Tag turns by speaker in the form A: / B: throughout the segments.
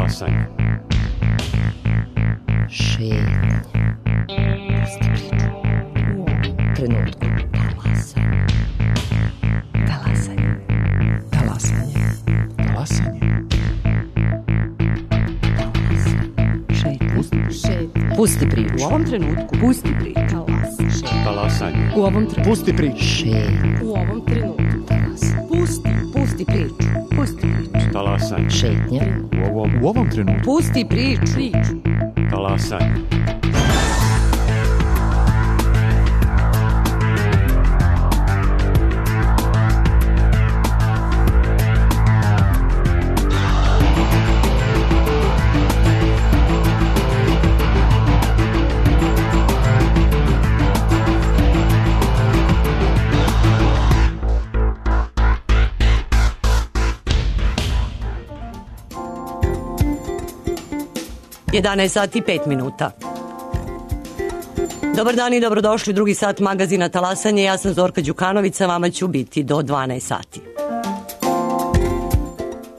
A: Talasanje.
B: Šetnje. Pusti priču. U ovom trenutku. Talasanje. Talasanje. Talasanje.
A: Talasanje.
B: Šetnje. Pusti priču.
C: U ovom trenutku.
B: Pusti priču.
A: Talasanje.
C: U ovom trenutku.
A: Pusti priču.
B: Šetnje.
C: U ovom trenutku. Pusti priču. Pusti priču.
A: Talasanje.
B: Šetnje.
A: U ovom trenutku.
C: Pusti priču.
A: Talasanje.
C: Jedanaest sati i 5 minuta. Dobar dan i dobrodošli u drugi sat magazina Talasanje. Ja sam Zorka Đukanović, vama ću biti do 12 sati.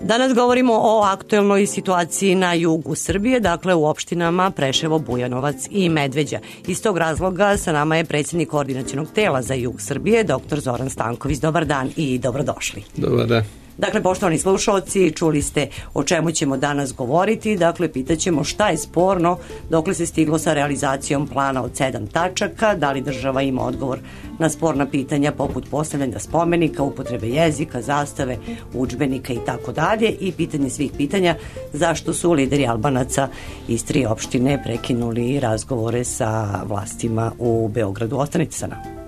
C: Danas govorimo o aktuelnoj situaciji na jugu Srbije, dakle u opštinama Preševo, Bujanovac i Medveđa. Iz tog razloga sa nama je predsjednik koordinacionog tela za jug Srbije, dr. Zoran Stanković. Dobar dan i dobrodošli.
D: Dobar dan.
C: Dakle, poštovani slušalci, čuli ste o čemu ćemo danas govoriti. Dakle, pitaćemo šta je sporno, dokle se stiglo sa realizacijom plana od 7 tačaka, da li država ima odgovor na sporna pitanja poput postavljanja spomenika, upotrebe jezika, zastave, udžbenika i tako dalje. I pitanje svih pitanja, zašto su lideri Albanaca iz 3 opštine prekinuli razgovore sa vlastima u Beogradu. Ostanite sa nama.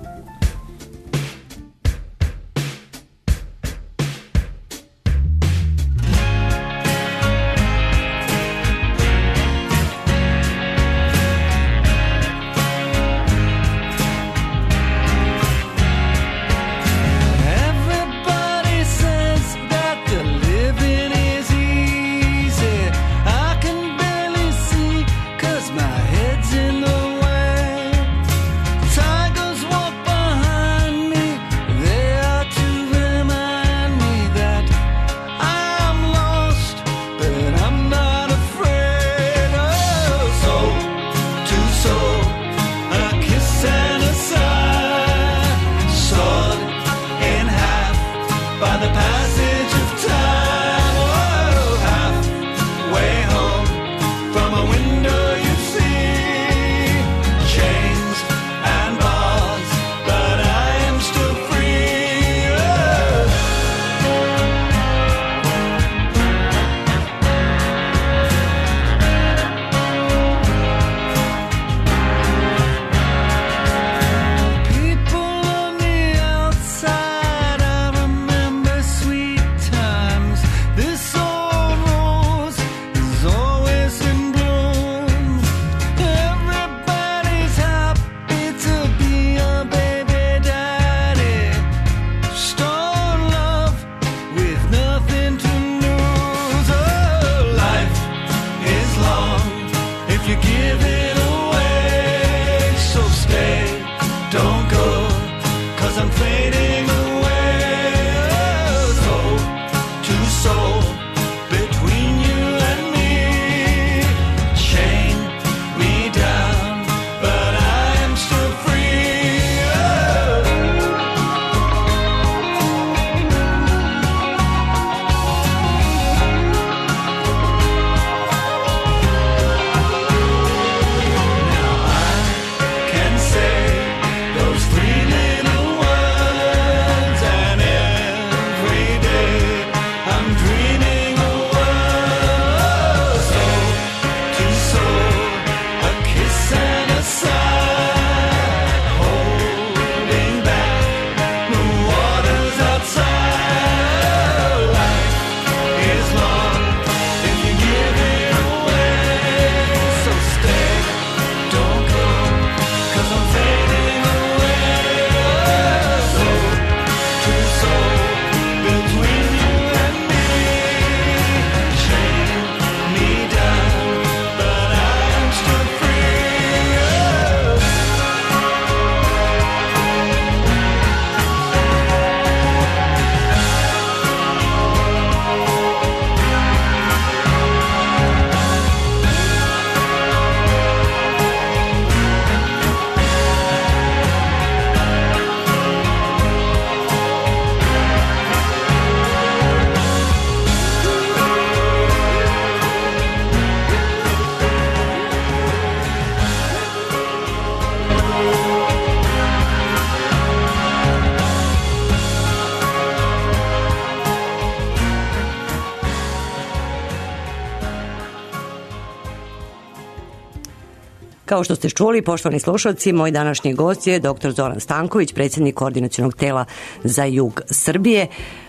C: Kao što ste čuli, poštovani slušalci, moj današnji gost je dr. Zoran Stanković, predsjednik Koordinacionog tela za jug Srbije.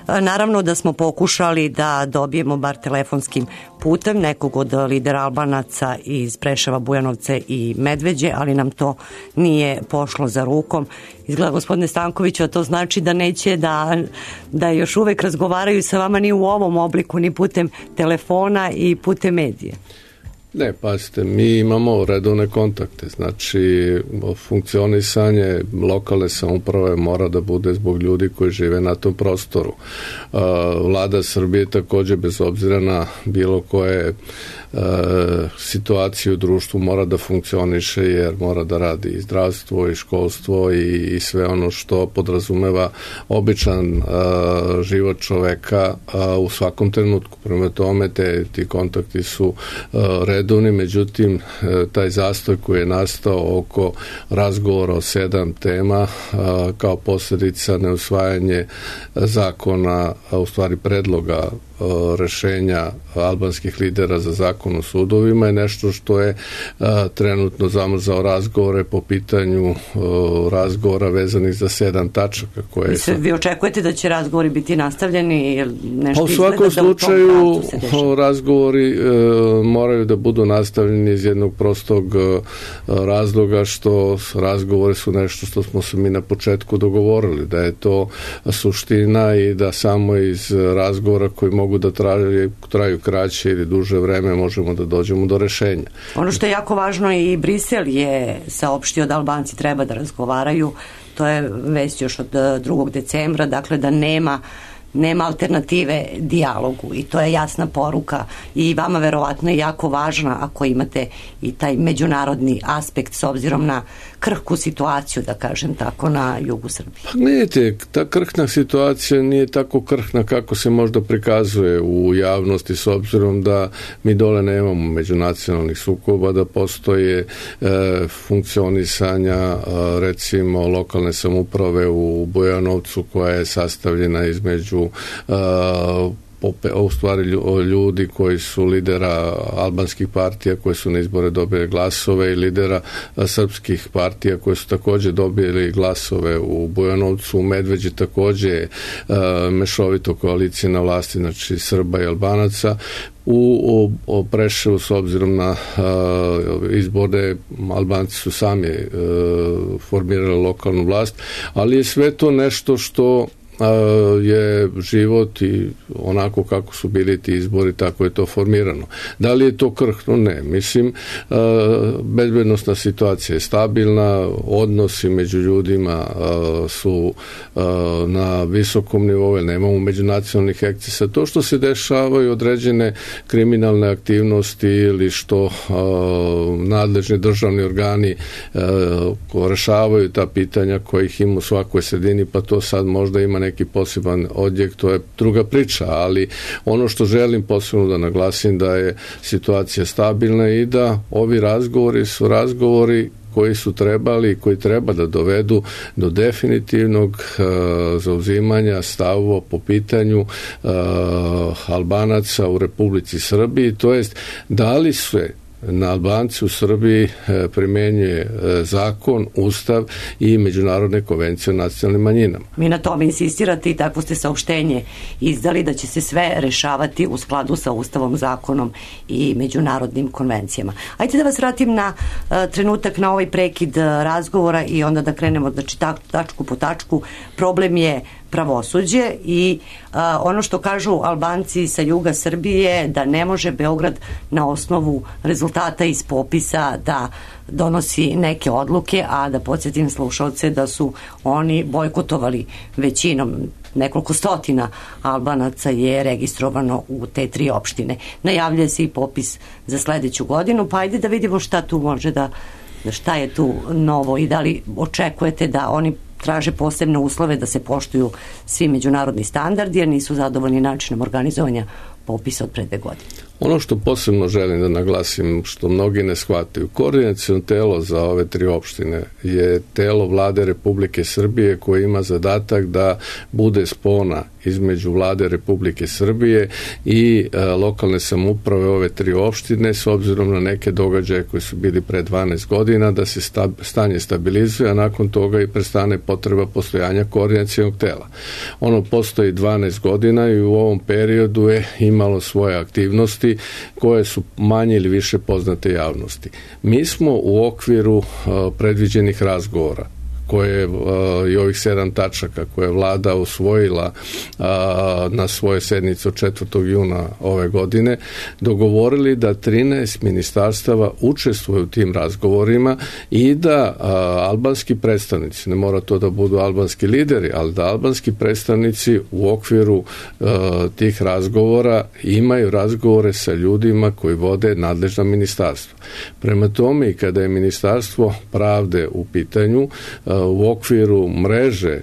C: Naravno da smo pokušali da dobijemo bar telefonskim putem nekog od lidera Albanaca iz Preševa, Bujanovca i Medveđe, ali nam to nije pošlo za rukom. Izgleda, gospodine Stankoviću, a to znači da neće da još uvek razgovaraju sa vama ni u ovom obliku, ni putem telefona i putem medije.
D: Ne, pazite, mi imamo redovne kontakte, znači funkcionisanje lokalne samouprave mora da bude zbog ljudi koji žive na tom prostoru. Vlada Srbije takođe, bez obzira na bilo koje situacije u društvu, mora da funkcioniše jer mora da radi i zdravstvo i školstvo i sve ono što podrazumeva običan život čoveka u svakom trenutku. Prema tome, ti kontakti su redovni, međutim, taj zastoj koji je nastao oko razgovora o 7 tema kao posljedica neusvajanje zakona, u stvari predloga rešenja albanskih lidera za zakon o sudovima je nešto što je trenutno zamrzao razgovore po pitanju razgovora vezanih za 7 tačaka koje
C: Vi očekujete da će razgovori biti nastavljeni ili nešto?
D: U svakom slučaju razgovori moraju da budu nastavljeni iz jednog prostog razloga što razgovori su nešto što smo se mi na početku dogovorili, da je to suština i da samo iz razgovora koji mogu da traju kraće ili duže vreme možemo da dođemo do rešenja.
C: Ono što je jako važno, i Brisel je saopštio da Albanci treba da razgovaraju, to je vest još od 2. decembra, dakle da nema alternative dijalogu, i to je jasna poruka i vama verovatno je jako važna ako imate i taj međunarodni aspekt s obzirom na krhku situaciju, da kažem tako, na jugu Srbije.
D: Pa gledajte, ta krhna situacija nije tako krhna kako se možda prikazuje u javnosti, s obzirom da mi dole nemamo međunacionalnih sukoba, da postoje funkcionisanja recimo lokalne samouprave u Bujanovcu koja je sastavljena između u stvari ljudi koji su lidera albanskih partija koji su na izbore dobili glasove i lidera srpskih partija koji su takođe dobili glasove u Bujanovcu. U Medveđi takođe mešovito koalicije na vlasti, znači Srba i Albanaca. U Preševu, s obzirom na izbore, Albanci su sami formirali lokalnu vlast, ali je sve to nešto što je život i onako kako su bili ti izbori, tako je to formirano. Da li je to krhno? Ne. Mislim, bezbednosna situacija je stabilna, odnosi među ljudima su na visokom nivou, nemamo međunacionalnih ekscesa. To što se dešavaju određene kriminalne aktivnosti ili što nadležni državni organi rešavaju ta pitanja kojih ima u svakoj sredini, pa to sad možda ima neki poseban odjek, to je druga priča, ali ono što želim posebno da naglasim da je situacija stabilna i da ovi razgovori su razgovori koji su trebali i koji treba da dovedu do definitivnog zauzimanja stavova po pitanju Albanaca u Republici Srbiji, to jest da li se na Albanci u Srbiji primenjuje zakon, ustav i međunarodne konvencije o nacionalnim manjinama.
C: Mi na tome insistirate i takvo ste saopštenje izdali da će se sve rešavati u skladu sa ustavom, zakonom i međunarodnim konvencijama. Ajde da vas vratim na trenutak, na ovaj prekid razgovora i onda da krenemo, znači, tačku po tačku. Problem je pravosuđe i ono što kažu Albanci sa juga Srbije, da ne može Beograd na osnovu rezultata iz popisa da donosi neke odluke, a da podsjetim slušalce da su oni bojkotovali većinom. Nekoliko stotina Albanaca je registrovano u te 3 opštine. Najavljuje se i popis za sledeću godinu, pa ajde da vidimo šta tu može šta je tu novo i da li očekujete da oni traže posebne uslove da se poštuju svi međunarodni standardi jer nisu zadovoljni načinom organizovanja popisa od pre 2 godine.
D: Ono što posebno želim da naglasim, što mnogi ne shvataju, koordinaciono telo za ove 3 opštine je telo Vlade Republike Srbije koje ima zadatak da bude spona između Vlade Republike Srbije i lokalne samouprave ove 3 opštine, s obzirom na neke događaje koji su bili pre 12 godina, da se stanje stabilizuje, a nakon toga i prestane potreba postojanja koordinacionog tela. Ono postoji 12 godina i u ovom periodu je imalo svoje aktivnosti koje su manje ili više poznate javnosti. Mi smo u okviru predviđenih razgovora koje i ovih 7 tačaka koje je vlada usvojila na svojoj sednici od 4. juna ove godine, dogovorili da 13 ministarstava učestvuju u tim razgovorima i da albanski predstavnici, ne mora to da budu albanski lideri, ali da albanski predstavnici u okviru tih razgovora imaju razgovore sa ljudima koji vode nadležna ministarstva. Prema tome, i kada je Ministarstvo pravde u pitanju, u okviru mreže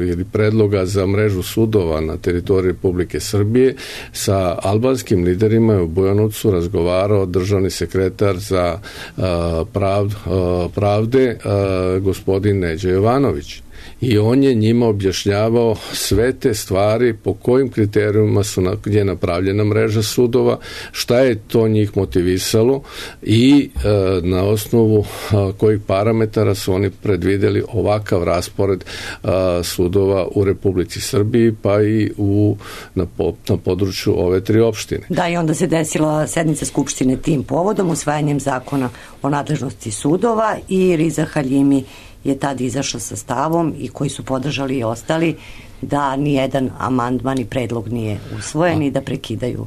D: ili predloga za mrežu sudova na teritoriji Republike Srbije, sa albanskim liderima je u Bujanovcu razgovarao državni sekretar za pravde gospodin Neđo Jovanović. I on je njima objašnjavao sve te stvari, po kojim kriterijuma gdje je napravljena mreža sudova, šta je to njih motivisalo i na osnovu kojih parametara su oni predvideli ovakav raspored sudova u Republici Srbiji, pa i na području ove 3 opštine.
C: Da, i onda se desila sednica Skupštine tim povodom, usvajanjem zakona o nadležnosti sudova, i Riza Haljimi je tad izašao sa stavom, i koji su podržali i ostali, da nijedan amandman i predlog nije usvojen i da prekidaju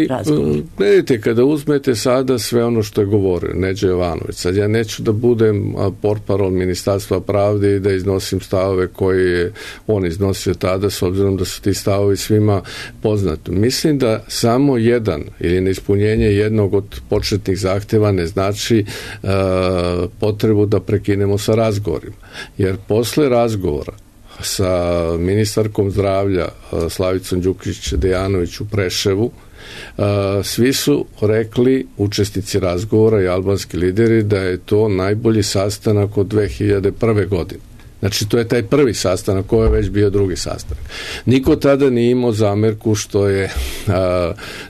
C: razgovor. Ali,
D: gledajte, kada uzmete sada sve ono što je govorio Neđo Jovanović, sad ja neću da budem portparol Ministarstva pravde i da iznosim stavove koje je on iznosio tada, s obzirom da su ti stavovi svima poznati. Mislim da samo jedan ili neispunjenje jednog od početnih zahteva ne znači potrebu da prekinemo sa razgovorima. Jer posle razgovora sa ministarkom zdravlja Slavicom Đukić-Dejanović u Preševu, svi su rekli, učesnici razgovora i albanski lideri, da je to najbolji sastanak od 2001. godine. Znači, to je taj prvi sastanak, koji je već bio drugi sastanak. Niko tada nije imao zamerku što je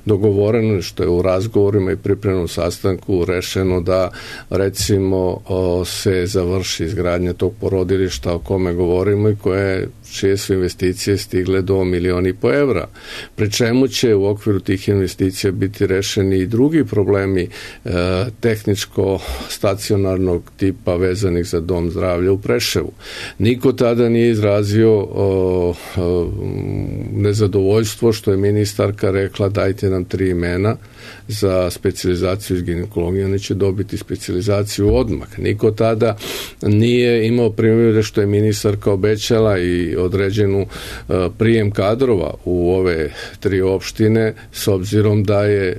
D: dogovoreno, što je u razgovorima i pripremnom sastanku rešeno da, recimo, se završi izgradnja tog porodilišta o kome govorimo i čije su investicije stigle do 1,5 miliona evra. Pri čemu će u okviru tih investicija biti rešeni i drugi problemi tehničko-stacionarnog tipa vezanih za dom zdravlja u Preševu. Niko tada nije izrazio nezadovoljstvo što je ministarka rekla dajte nam 3 imena za specijalizaciju iz ginekologije, oni će dobiti specijalizaciju odmah. Niko tada nije imao primjer što je ministarka obećala i određenu prijem kadrova u ove 3 opštine, s obzirom da je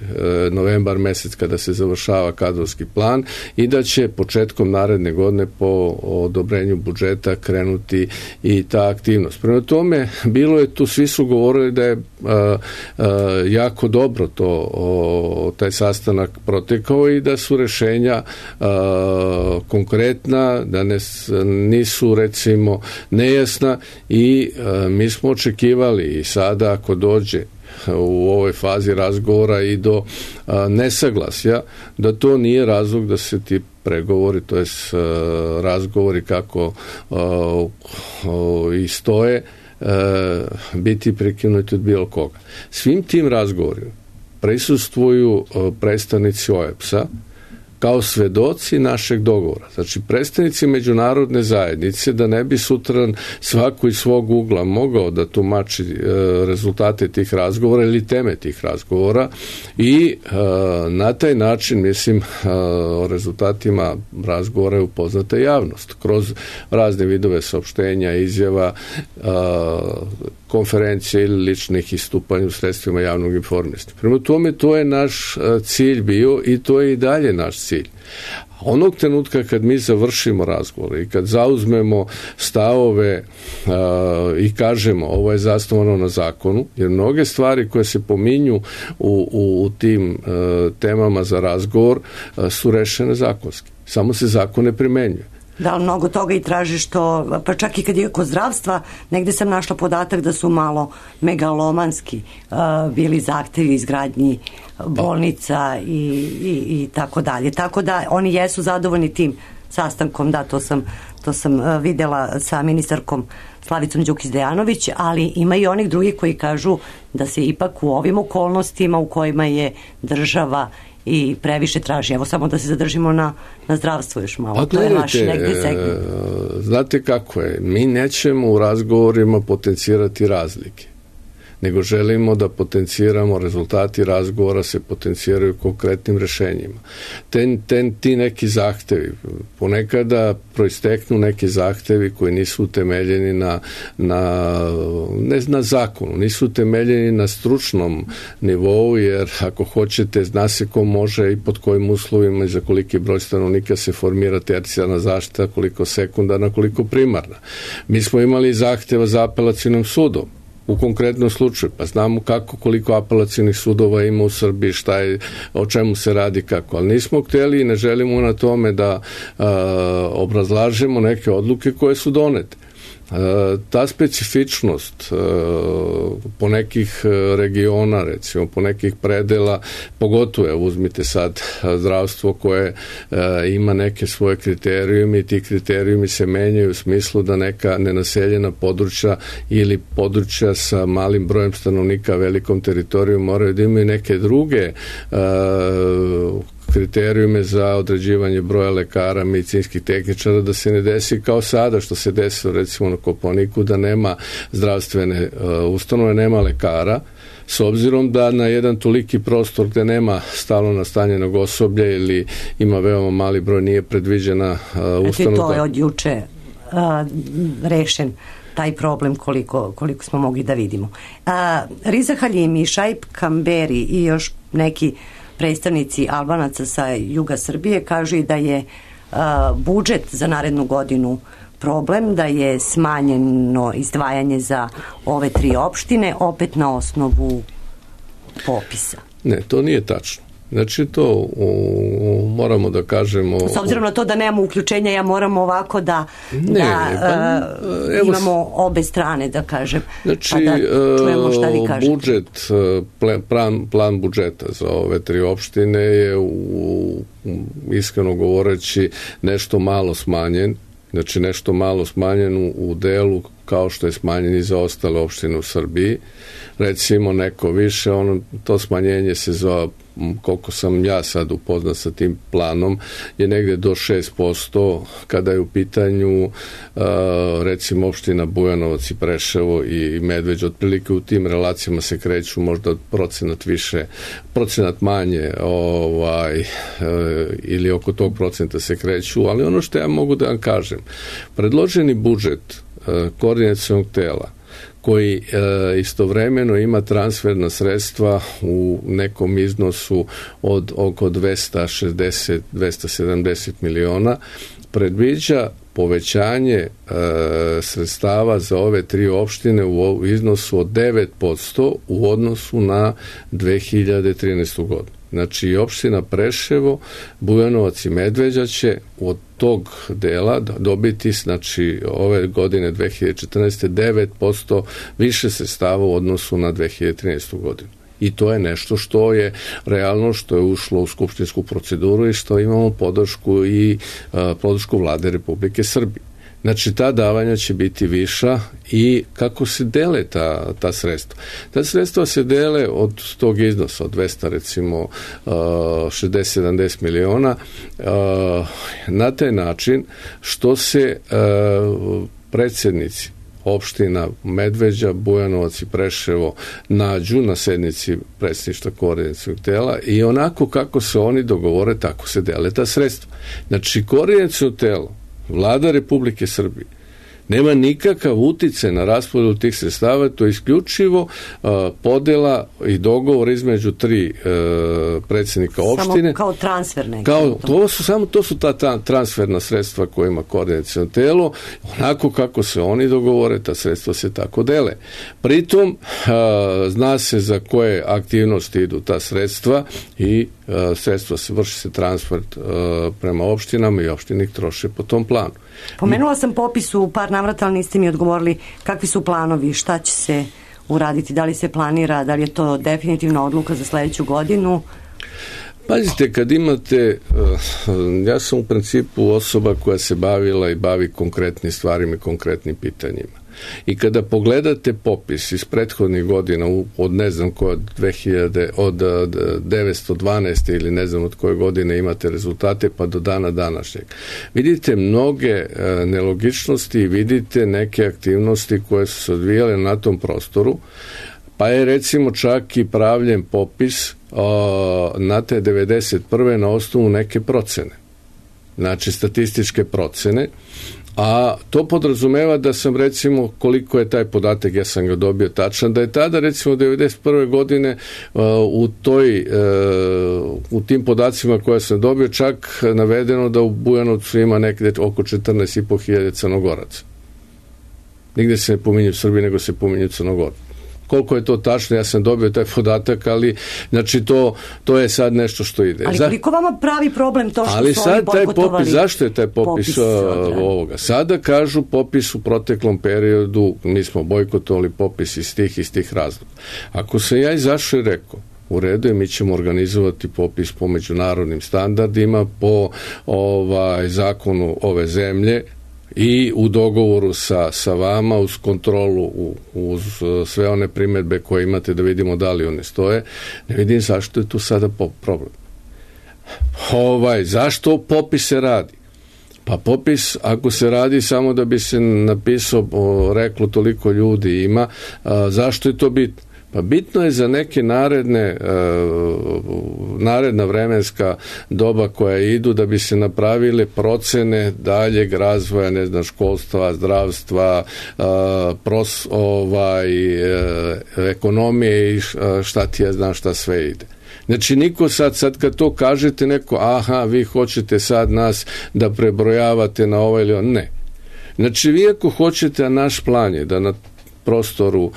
D: novembar mesec kada se završava kadrovski plan i da će početkom naredne godine po odobrenju budžeta krenuti i ta aktivnost. Prema tome, bilo je tu, svi su govorili da je jako dobro taj sastanak protekao i da su rešenja konkretna, da nisu, recimo, nejasna, i mi smo očekivali i sada ako dođe u ovoj fazi razgovora i do nesaglasja, da to nije razlog da se ti pregovori, to jest razgovori kako i stoje, biti prekinuti od bilo koga. Svim tim razgovorima prisustvuju predstavnici OEBS-a kao svedoci našeg dogovora. Znači, predstavnici međunarodne zajednice, da ne bi sutra svako iz svog ugla mogao da tumači rezultate tih razgovora ili teme tih razgovora, i na taj način, mislim, o rezultatima razgovora je upoznata javnost kroz razne vidove saopštenja, izjava, konferencije ili ličnih istupanja u sredstvima javnog informisanja. Prema tome, to je naš cilj bio i to je i dalje naš cilj. Onog trenutka kad mi završimo razgovor i kad zauzmemo stavove i kažemo ovo je zasnovano na zakonu, jer mnoge stvari koje se pominju u tim temama za razgovor su rešene zakonski. Samo se zakon ne primenjuje.
C: Da, mnogo toga i traži što, pa čak i kad je kod zdravstva, negde sam našla podatak da su malo megalomanski bili zahtevi izgradnji bolnica i tako dalje. Tako da oni jesu zadovoljni tim sastankom, da, to sam videla sa ministarkom Slavicom Đukić Dejanović, ali ima i onih drugih koji kažu da se ipak u ovim okolnostima u kojima je država i previše traži. Evo samo da se zadržimo na zdravstvu još malo.
D: Pa,
C: to je vaš negde segment.
D: Znate kako je, mi nećemo u razgovorima potencirati razlike, nego želimo da potenciramo, rezultati razgovora se potenciraju konkretnim rešenjima. Ti neki zahtevi, ponekada proisteknu neki zahtevi koji nisu utemeljeni ne na zakonu, nisu utemeljeni na stručnom nivou, jer ako hoćete, zna se ko može i pod kojim uslovima i za koliki broj stanovnika se formira tercijarna zaštita, koliko sekundarna, koliko primarna. Mi smo imali zahteva za apelacionim sudom u konkretnom slučaju, pa znamo koliko apelacionih sudova ima u Srbiji, o čemu se radi, kako, ali nismo hteli i ne želimo na tome da obrazlažemo neke odluke koje su donete. Ta specifičnost po nekih regiona, recimo po nekih predela, pogotovo uzmite sad zdravstvo koje ima neke svoje kriterijume i ti kriterijumi se menjaju u smislu da neka nenaseljena područja ili područja sa malim brojem stanovnika, velikom teritorijom moraju da imaju neke druge kriterijume za određivanje broja lekara, medicinskih tehničara, da se ne desi kao sada što se desilo recimo na Kopaoniku, da nema zdravstvene ustanove, nema lekara, s obzirom da na jedan toliki prostor gde nema stalno nastanjenog osoblja ili ima veoma mali broj, nije predviđena ustanova.
C: To je od juče rešen taj problem koliko smo mogli da vidimo. Riza Halimi, Šaip Kamberi i još neki predstavnici Albanaca sa juga Srbije kažu i da je budžet za narednu godinu problem, da je smanjeno izdvajanje za ove 3 opštine, opet na osnovu popisa.
D: Ne, to nije tačno. Znači to moramo da kažemo...
C: S obzirom na to da nemamo uključenja, ja moram ovako da imamo obe strane, da kažem.
D: Znači,
C: pa da čujemo šta vi kažete.
D: Budžet, plan budžeta za ove 3 opštine je iskreno govoreći nešto malo smanjen. Znači nešto malo smanjen u delu kao što je smanjen i za ostale opštine u Srbiji. Recimo neko više, to smanjenje se zove, koliko sam ja sad upoznat sa tim planom, je negde do 6% kada je u pitanju recimo opština Bujanovac i Preševo i Medveđa, otprilike u tim relacijama se kreću možda procenat više, procenat manje ili oko tog procenta se kreću, ali ono što ja mogu da vam kažem, predloženi budžet koordinacionog tela koji istovremeno ima transferna sredstva u nekom iznosu od oko 270 miliona, predviđa povećanje sredstava za ove 3 opštine u iznosu od 9% u odnosu na 2013. godinu. Znači, opština Preševo, Bujanovac i Medveđa će od tog dela dobiti, znači, ove godine 2014. 9% više sredstava u odnosu na 2013. godinu. I to je nešto što je realno, što je ušlo u skupštinsku proceduru i što imamo podršku Vlade Republike Srbije. Znači, ta davanja će biti viša i kako se dele ta sredstva? Ta sredstva se dele od tog iznosa, od 200, recimo, 60-70 miliona, na taj način što se predsjednici opština Medveđa, Bujanovac i Preševo nađu na sednici predsjedništva koordinacionog tela i onako kako se oni dogovore, tako se dele ta sredstva. Znači, koordinaciono telo, Vlada Republike Srbije Nema nikakav uticaj na raspodjelu tih sredstava, to je isključivo podjela i dogovor između 3 predsjednika opštine.
C: Samo kao transfer neki.
D: To su ta transferna sredstva koje ima koordinaciono telo, onako kako se oni dogovore, ta sredstva se tako dele. Pritom zna se za koje aktivnosti idu ta sredstva i sredstva vrši se transfer prema opštinama i opštine ih troše po tom planu.
C: Pomenula sam popis u par navrata, ali niste mi odgovorili kakvi su planovi, šta će se uraditi, da li se planira, da li je to definitivna odluka za sledeću godinu?
D: Pazite, kad imate, ja sam u principu osoba koja se bavila i bavi konkretnim stvarima i konkretnim pitanjima. I kada pogledate popis iz prethodnih godina od ne znam od 1912. ili ne znam od koje godine imate rezultate pa do dana današnjeg, vidite mnoge nelogičnosti i vidite neke aktivnosti koje su se odvijale na tom prostoru, pa je recimo čak i pravljen popis na te 91. na osnovu neke procene. Znači statističke procene, a to podrazumeva da sam recimo, koliko je taj podatak, ja sam ga dobio tačan, da je tada recimo 91. godine u tim podacima koje sam dobio čak navedeno da u Bujanovcu ima nekde oko 14.500 Crnogoraca. Nigde se ne pominju Srbi, nego se pominju Crnogorci. Koliko je to tačno, ja sam dobio taj podatak, ali znači to je sad nešto što ide.
C: Ali koliko vama pravi problem to što
D: ali
C: su
D: sad
C: oni bojkotovali?
D: Zašto je taj popis ovoga? Sada kažu popis u proteklom periodu, mi smo bojkotovali popis iz tih razloga. Ako sam ja izašao i rekao, u redu je, mi ćemo organizovati popis po međunarodnim standardima, po zakonu ove zemlje, i u dogovoru sa vama, uz kontrolu, uz sve one primjedbe koje imate da vidimo da li one stoje, ne vidim zašto je tu sada problem. Zašto popis se radi? Pa popis, ako se radi samo da bi se napisao, reklo toliko ljudi ima, zašto je to bitno? Pa bitno je za neke naredna vremenska doba koja idu da bi se napravile procene daljeg razvoja, ne znam, školstva, zdravstva, ekonomije i šta ti ja znam šta sve ide. Znači niko sad kad to kažete neko, vi hoćete sad nas da prebrojavate na ovaj ili on, ne. Znači vi ako hoćete, naš plan je da na prostoru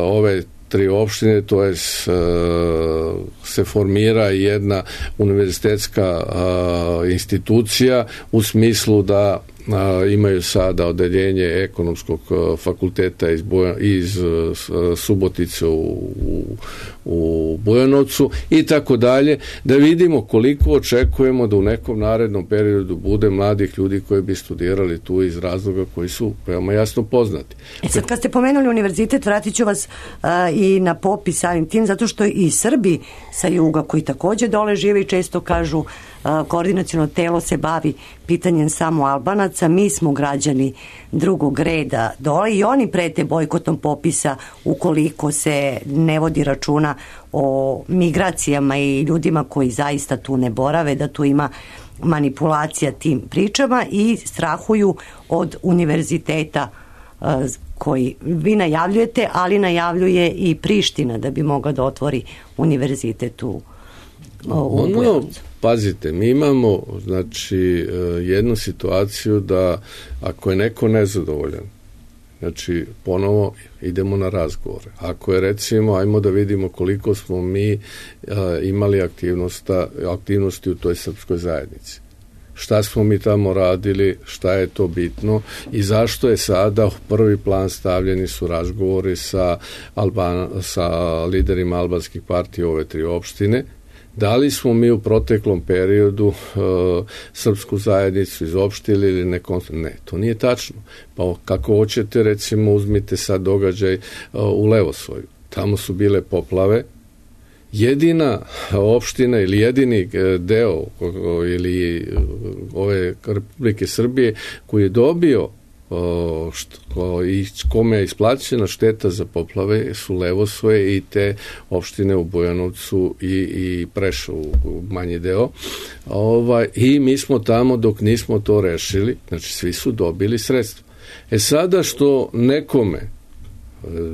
D: ove 3 opštine, to je se formira jedna univerzitetska institucija u smislu da imaju sada odeljenje ekonomskog fakulteta iz Subotice u Bujanovcu i tako dalje, da vidimo koliko očekujemo da u nekom narednom periodu bude mladih ljudi koji bi studirali tu iz razloga koji su veoma jasno poznati.
C: Sad kad ste pomenuli univerzitet, vratit ću vas i na popis samim tim, zato što i Srbi sa juga koji takođe dole žive i često kažu koordinaciono telo se bavi pitanjem samo Albanaca, mi smo građani drugog reda dole i oni prete bojkotom popisa ukoliko se ne vodi računa o migracijama i ljudima koji zaista tu ne borave, da tu ima manipulacija tim pričama i strahuju od univerziteta koji vi najavljujete, ali najavljuje i Priština da bi mogla da otvori univerzitet u Bujanovcu.
D: Pazite, mi imamo jednu situaciju da ako je neko nezadovoljan, znači ponovo idemo na razgovore. Ako je recimo, ajmo da vidimo koliko smo mi imali aktivnosti u toj srpskoj zajednici. Šta smo mi tamo radili, šta je to bitno i zašto je sada u prvi plan stavljeni su razgovori sa liderima albanskih partija ove 3 opštine. Da li smo mi u proteklom periodu srpsku zajednicu izopštili ili nekom? Ne, to nije tačno. Pa kako hoćete, recimo, uzmite sad događaj u Levosvoju. Tamo su bile poplave. Jedina opština ili jedini deo ili ove Republike Srbije koji je dobio i kome je isplaćena šteta za poplave su Levosvoje i te opštine u Bujanovcu i Prešovu manji deo. I mi smo tamo dok nismo to rešili, znači svi su dobili sredstva. Sada što nekome,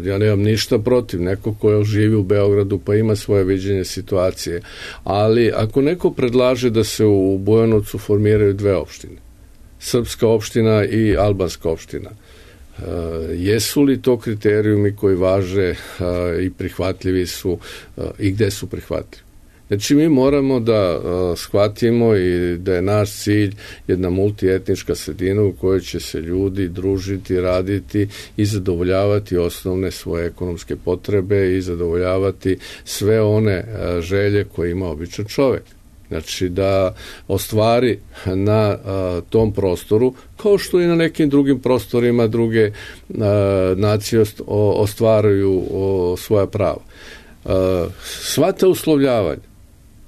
D: ja nemam ništa protiv, neko ko živi u Beogradu pa ima svoje viđenje situacije, ali ako neko predlaže da se u Bujanovcu formiraju dve opštine, srpska opština i albanska opština, jesu li to kriterijumi koji važe i prihvatljivi su i gde su prihvatljivi? Znači mi moramo da shvatimo i da je naš cilj jedna multietnička sredina u kojoj će se ljudi družiti, raditi i zadovoljavati osnovne svoje ekonomske potrebe i zadovoljavati sve one želje koje ima običan čovek. Znači da ostvari na tom prostoru, kao što i na nekim drugim prostorima druge nacije ostvaruju svoja prava. Sva ta uslovljavanja,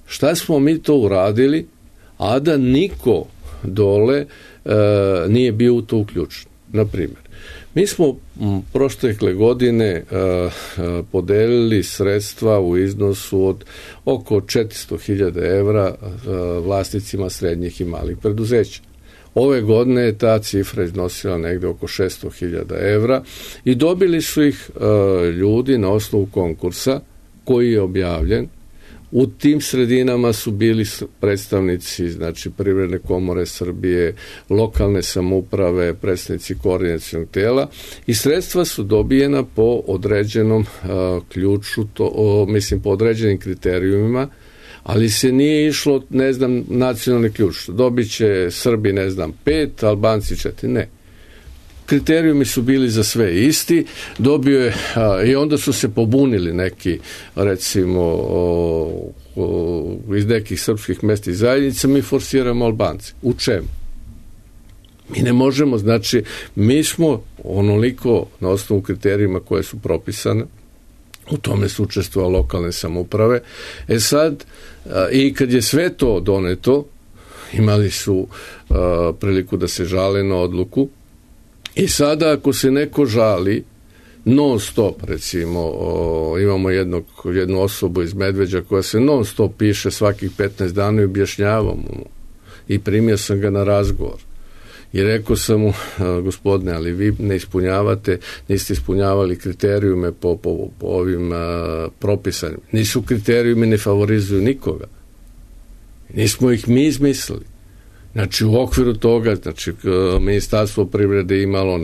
D: šta smo mi to uradili, a da niko dole nije bio u to uključen. Na primjer, mi smo prošle godine podelili sredstva u iznosu od oko 400.000 evra vlasnicima srednjih i malih preduzeća. Ove godine je ta cifra iznosila negde oko 600.000 evra i dobili su ih ljudi na osnovu konkursa koji je objavljen. U tim sredinama su bili predstavnici, znači Privredne komore Srbije, lokalne samouprave, predstavnici koordinacionog tela i sredstva su dobijena po određenom ključu, po određenim kriterijumima, ali se nije išlo, nacionalni ključ. Dobit će Srbi, 5, Albanci 4, ne. Kriterijumi su bili za sve isti, dobio je, i onda su se pobunili neki, recimo, iz nekih srpskih mesta i zajednica, mi forsiramo Albance. U čemu? Mi ne možemo, znači, mi smo onoliko na osnovu kriterijima koje su propisane, u tome su učestvovale lokalne samouprave. Sad, i kad je sve to doneto, imali su priliku da se žale na odluku. I sada ako se neko žali non stop, recimo, imamo jednu osobu iz Medveđa koja se non stop piše svakih 15 dana i objašnjavamo mu. I primio sam ga na razgovor. I rekao sam mu, gospodine, ali vi niste ispunjavali kriterijume po ovim propisanjima. Nisu kriterijumi, ne favorizuju nikoga. Nismo ih mi izmislili. Znači u okviru toga, znači Ministarstvo privrede imalo,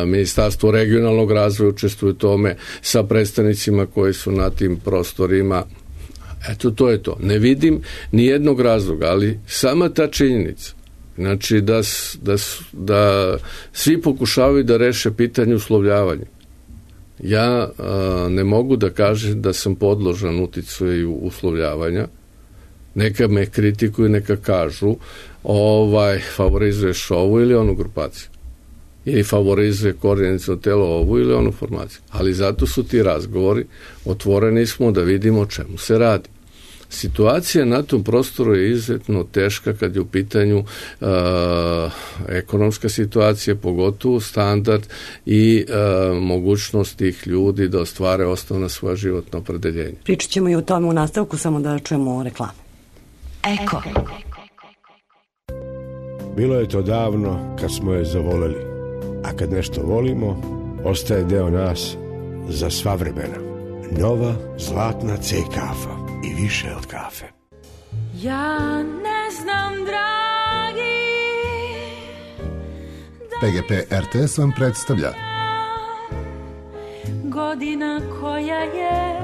D: Ministarstvo regionalnog razvoja učestvuje u tome sa predstavnicima koji su na tim prostorima. Eto, to je to. Ne vidim ni jednog razloga, ali sama ta činjenica, znači da svi pokušavaju da reše pitanje uslovljavanja. Ja ne mogu da kažem da sam podložan uticaju uslovljavanja. Neka me kritikuju, neka kažu favorizuješ ovu ili onu grupaciju. Ili favorizuje koordinaciono telo ovu ili onu formaciju. Ali zato su ti razgovori, otvoreni smo da vidimo o čemu se radi. Situacija na tom prostoru je izuzetno teška kad je u pitanju ekonomska situacija, pogotovo standard i mogućnost tih ljudi da ostvare osnovna svoja životna opredeljenja.
C: Pričat ćemo i o tome u nastavku, samo da čujemo reklame.
B: Eko.
E: Bilo je to davno kad smo je zavoleli, a kad nešto volimo, ostaje deo nas za sva vremena. Nova zlatna C kafa i više od kafe.
F: Ja ne znam, dragi,
G: PGP RTS vam predstavlja
F: godina koja je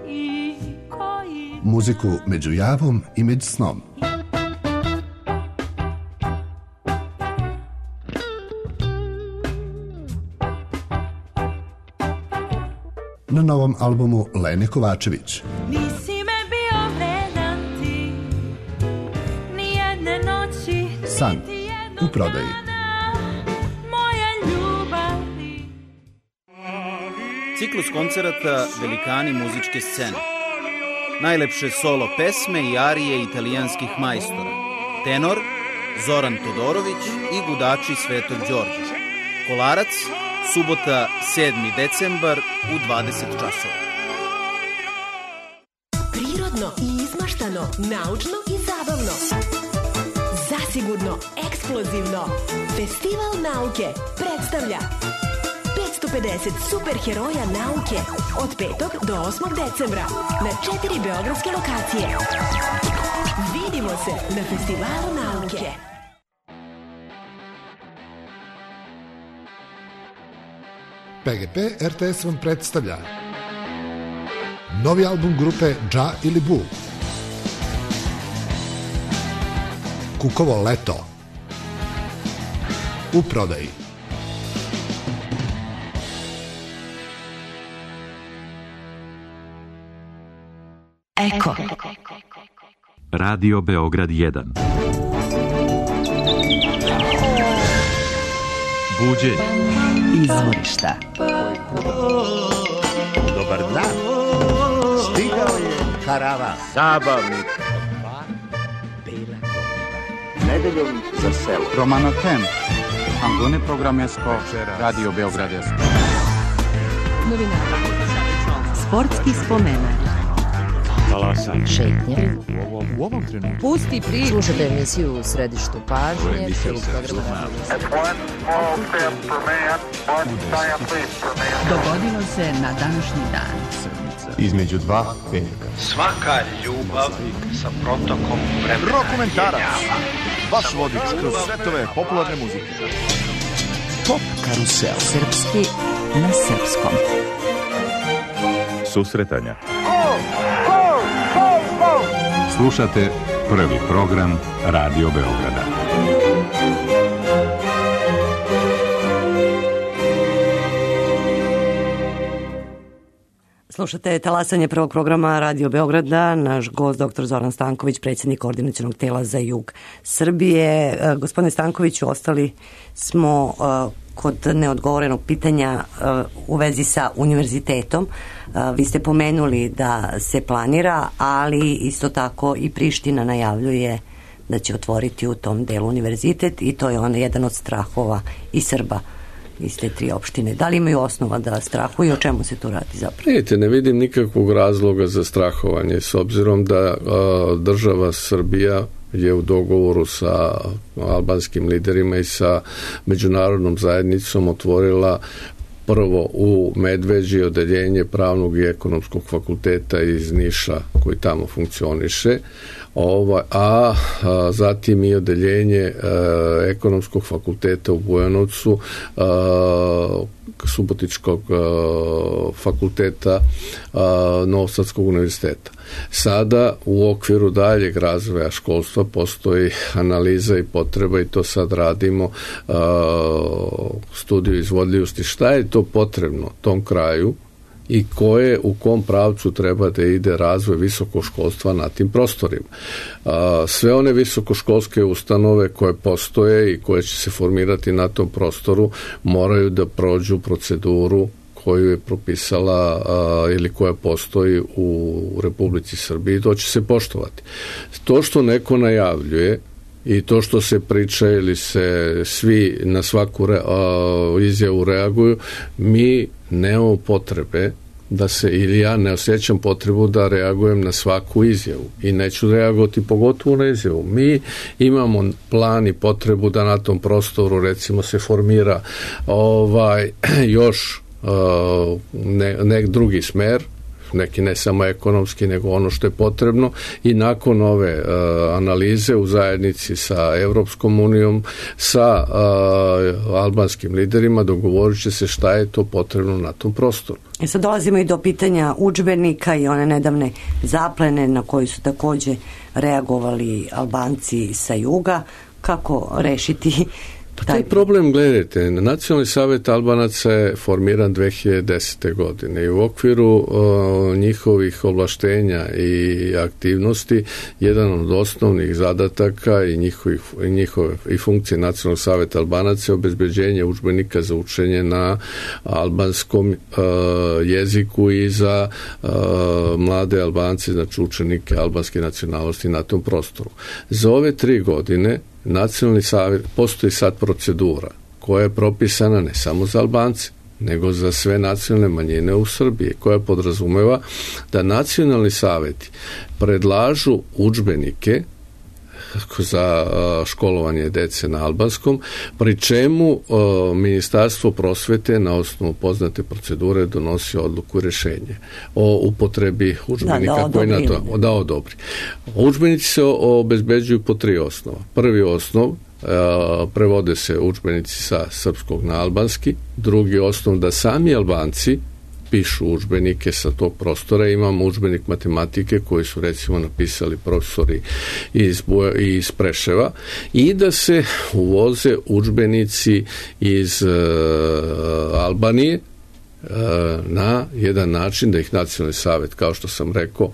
F: i koji
G: muziku među javom i među snom. Na novom albumu Lene Kovačević.
F: nisi me bio vredan ti, nijedne noći,
G: San
F: niti jednog
G: u prodaji.
F: dana, moja ljubavi.
H: Ciklus koncerata Velikani muzičke scene. Najlepše solo pesme i arije italijanskih majstora. Tenor Zoran Todorović i gudači Svetog Đorđa. Kolarac, subota 7. decembar u 20 časova.
I: Prirodno i izmaštano, naučno i zabavno. Zasigurno, ekskluzivno. Ekskluzivno. Festival nauke predstavlja 550 superheroja nauke od 5. do 8. decembra na 4 beogradske lokacije. Vidimo se na Festivalu nauke.
G: PGP RTS vam predstavlja novi album grupe Dža ili Bu, Kukovo leto, u prodaji.
I: Eko.
A: Radio Beograd 1. Buđenje.
B: Izvorišta.
E: Dobar dan. Stigao je karavan. Zabavnik. Nedeljom za selo.
H: Romano Tem. Angone programesko. Radio Beograd 1.
B: Novinari. Sportski spomenak.
A: Talasanje.
B: Šetnje.
A: U ovom trenutku.
B: Pusti priču. Slušajte emisiju u središtu pažnje. Dogodilo se na današnji dan.
E: Između dva petka.
J: Svaka ljubav sa protokom vremena.
K: Rokomentarac. Vaš vodič kroz svetove popularne muzike.
B: Pop karusel. Srpski na srpskom.
K: Susretanja. Slušate prvi program Radio Beograda.
C: Slušate talasanje prvog programa Radio Beograda. Naš gost, dr. Zoran Stanković, predsjednik Koordinacionog tela za jug Srbije. Gospodine Stankoviću, ostali smo kod neodgovorenog pitanja u vezi sa univerzitetom. Vi ste pomenuli da se planira, ali isto tako i Priština najavljuje da će otvoriti u tom delu univerzitet i to je jedan od strahova i Srba iz te 3 opštine. Da li imaju osnova da strahuju? O čemu se tu radi zapravo?
D: Vidite, ne vidim nikakvog razloga za strahovanje, s obzirom da država Srbija je u dogovoru sa albanskim liderima i sa međunarodnom zajednicom otvorila prvo u Medveđi odeljenje pravnog i ekonomskog fakulteta iz Niša koji tamo funkcioniše, a zatim i odeljenje ekonomskog fakulteta u Bujanovcu, Subotičkog fakulteta Novosadskog univerziteta. Sada u okviru daljeg razvoja školstva postoji analiza i potreba i to sad radimo, studiju izvodljivosti, šta je to potrebno tom kraju i u kom pravcu treba da ide razvoj visokoškolstva na tim prostorima. Sve one visokoškolske ustanove koje postoje i koje će se formirati na tom prostoru moraju da prođu proceduru koju je propisala ili koja postoji u Republici Srbiji, to će se poštovati. To što neko najavljuje i to što se priča ili se svi na svaku izjavu reaguju, mi nemamo potrebe da se, ili ja ne osjećam potrebu da reagujem na svaku izjavu i neću reagovati pogotovo na izjavu. Mi imamo plan i potrebu da na tom prostoru recimo se formira još nek drugi smer, neki ne samo ekonomski, nego ono što je potrebno i nakon ove analize u zajednici sa Evropskom unijom, sa albanskim liderima dogovorit će se šta je to potrebno na tom prostoru.
C: I sad dolazimo i do pitanja udžbenika i one nedavne zaplene na koji su takođe reagovali Albanci sa juga. Kako rešiti
D: taj problem? Gledajte, Nacionalni savjet Albanaca je formiran 2010. godine i u okviru njihovih ovlaštenja i aktivnosti jedan od osnovnih zadataka i funkcije Nacionalnog savjeta Albanaca je obezbeđenje udžbenika za učenje na albanskom jeziku i za mlade Albance, znači učenike albanske nacionalnosti na tom prostoru. Za ove 3 godine Nacionalni savjet, postoji sad procedura koja je propisana ne samo za Albance, nego za sve nacionalne manjine u Srbiji, koja podrazumeva da nacionalni savjeti predlažu udžbenike za školovanje dece na albanskom, pri čemu Ministarstvo prosvete na osnovu poznate procedure donosi odluku i rješenje o upotrebi udžbenika koji na to da odobri. Udžbenici se obezbeđuju po 3 osnova. Prvi osnov, prevode se udžbenici sa srpskog na albanski. Drugi osnov, da sami Albanci pišu udžbenike sa tog prostora. Imamo udžbenik matematike koji su recimo napisali profesori iz Preševa, i da se uvoze udžbenici iz Albanije na jedan način da ih Nacionalni savjet, kao što sam rekao,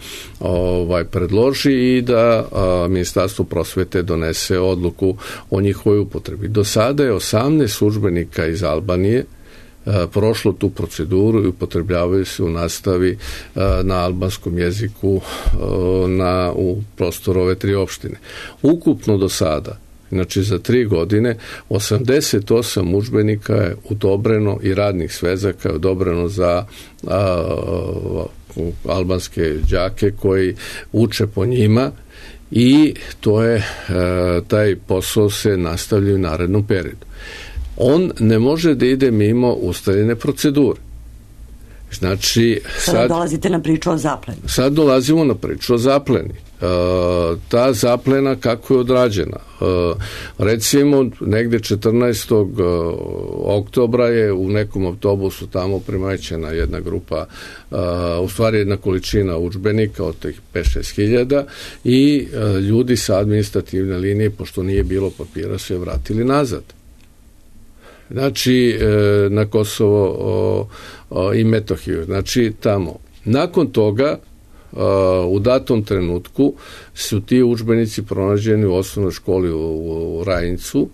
D: predloži i da Ministarstvo prosvete donese odluku o njihovoj upotrebi. Do sada je 18 udžbenika iz Albanije prošlo tu proceduru i upotrebljavaju se u nastavi na albanskom jeziku u prostoru ove 3 opštine. Ukupno do sada, znači za 3 godine, 88 udžbenika je odobreno i radnih svezaka je odobreno za albanske đake koji uče po njima, i to je taj posao se nastavlja u narednom periodu. On ne može da ide mimo ustaljene procedure. Znači,
C: sad dolazite na priču o zapleni.
D: Sad dolazimo na priču o zapleni. Ta zaplena kako je odrađena? Recimo, negde 14. oktobra je u nekom autobusu tamo primećena jedna grupa, u stvari jedna količina udžbenika od tih 5-6 hiljada, i ljudi sa administrativne linije, pošto nije bilo papira, su je vratili nazad. Znači, na Kosovo i Metohiju, znači tamo. Nakon toga, u datom trenutku, su ti udžbenici pronađeni u osnovnoj školi u Rajincu,